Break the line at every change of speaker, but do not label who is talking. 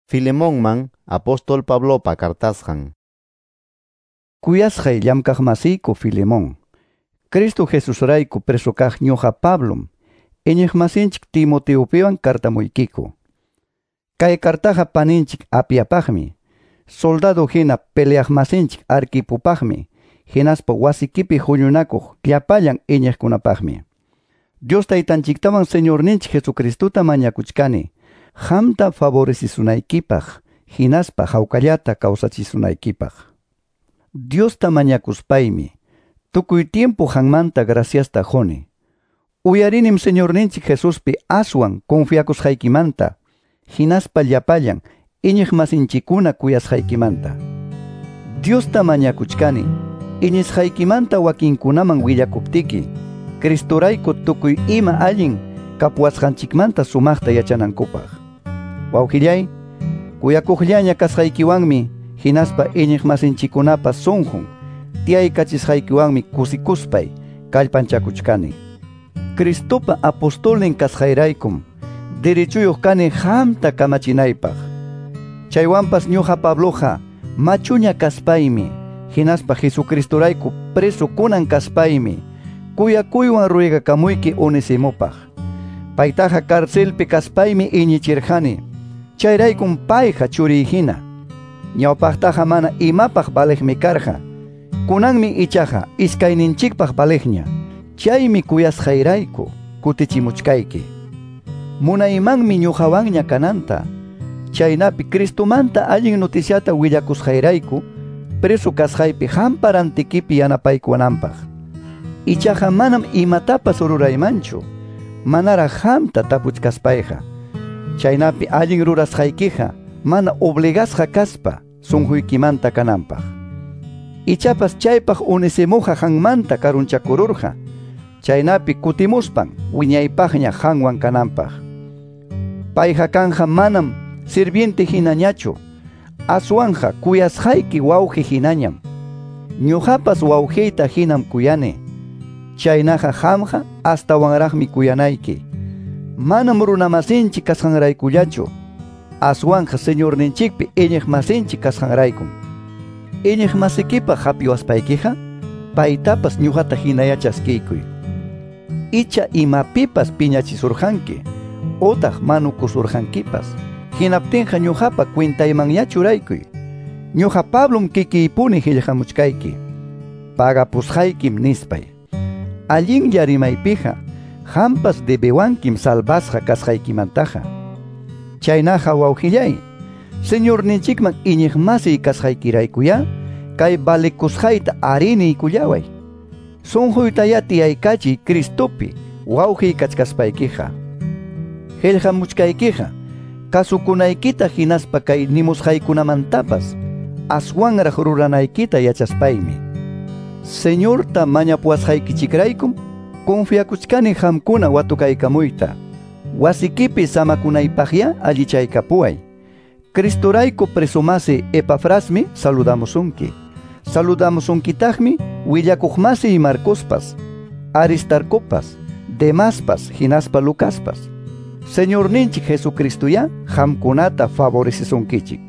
Filemonman apóstol Pablopa cartasqan.
Kuyasqay llamkaqmasiyku Filemón, Cristo Jesusrayku preso kaq ñuqa Pablom, iñiqmasinchik Timoteopiwan cartamuykiku. Kay cartaqa paninchik Apiapaqmi, soldado hina peleaqmasinchik Arquipopaqmi, hinaspa wasikipi huñunakuq llapallan iñiqkunapaqmi. Dios taytanchiktawan Señorninchik Jesucristota mañakuchkani, qamta favorecizunaykipaq, hinaspa hawkallata kawsachisunaykipaq. Diosta mañakuspaymi, tukuy tiempo qanmanta graciasta quni. Uyarinim Señorninchik Jesuspi aswan confiakusqaykimanta, hinaspa llapallan iñiqmasinchikkuna kuyasqaykimanta. Diosta mañakuchkani, iñisqaykimanta wakinkunaman willakuptiki, Cristorayku tukuy ima allin kapuwasqanchikmanta sumaqta yachanankupaq. Wawqillay, kuyakuqllaña kasqaykiwanmi, hinaspa iñiqmasinchikkunapa sunqun tiyaykachisqaykiwanmi kusikuspay kallpanchakuchkani. Cristopa apostolnin kasqayraykum derechuyuq kani qamta kamachinaypaq. Chaywanpas ñuqa Pabloqa machuña kaspaymi, hinaspa Jesucristorayku preso kunan kaspaymi, kuyakuywan ruegakamuyki Onesimopaq. Paytaqa carcelpi kaspaymi iñichirqani, chayraykum payqa churiy hina. Ñawpaqtaqa mana imapaq valeqmi karqa, kunanmi ichaqa iskayninchikpaq valeqña. Chaymi kuyasqayrayku kutichimuchkayki. Munaymanmi ñuqawanña kananta, chaynapi Cristomanta allin noticiata willakusqayrayku preso kasqaypi qampa rantikipi yanapaykuwananpaq. Ichaqa manam imatapas ruraymanchu, manaraq qamta tapuchkaspayqa. Chaynapi allin rurasqaykiqa mana obligasqa kaspa sunquykimanta kananpaq. Ichapas chaypaq Onesimoqa qanmanta karunchakururqa, chaynapi kutimuspan wiñaypaqña qanwan kananpaq. Payqa kanja manam sirviente hinañachu, aswanja kuyasqayki wawqi hinañam. Ñuqapas wawqiyta hinam kuyani, chaynaqa qamqa astawanraqmi kuyanayki. Manam runamasinchik kasqanraykullachu, aswanja Señorninchikpi iñiqmasinchik kasqanraykum. Iñiqmasikipaq hapiwaspaykiqa, paytapas ñuqata hinaya chaskiykuy. Icha imapipas piñachisurqanki, otaq manukusurqankipas, hinaptinqa ñuqapa cuentaymanña churaykuy. Ñuqa Pablom kikiypuni qillqamuchkayki, pagapusqaykim nispay. Allinlla rimaypiqa, qampas debewankim salvasqa kasqaykimantaqa. Chaynaqa wawqillay, Señorninchikman iñiqmasiy kasqaykiraykuyá, kay valekusqayta ariniykullaway. Sunquytayá tiyaykachiy Cristopi wawqiy kachkaspaykiqa. Qillqamuchkaykiqa, kasukunaykita hinaspa kay nimusqaykunamantapas aswanraq ruranaykita yachaspaymi. Señorta mañapuwasqaykichikraykum confiakuchkani qamkuna watukaykamuyta. Wasikipi samakunaypaqya allichaykapuway. Cristorayku presomasi Epafrasmi saludamusunki. Saludamusunkitaqmi willakuqmasi Marcospas, Aristarcopas, Demaspas, hinaspa Lucaspas. Señorninchik Jesucristoyá qamkunata favorecisunkichik.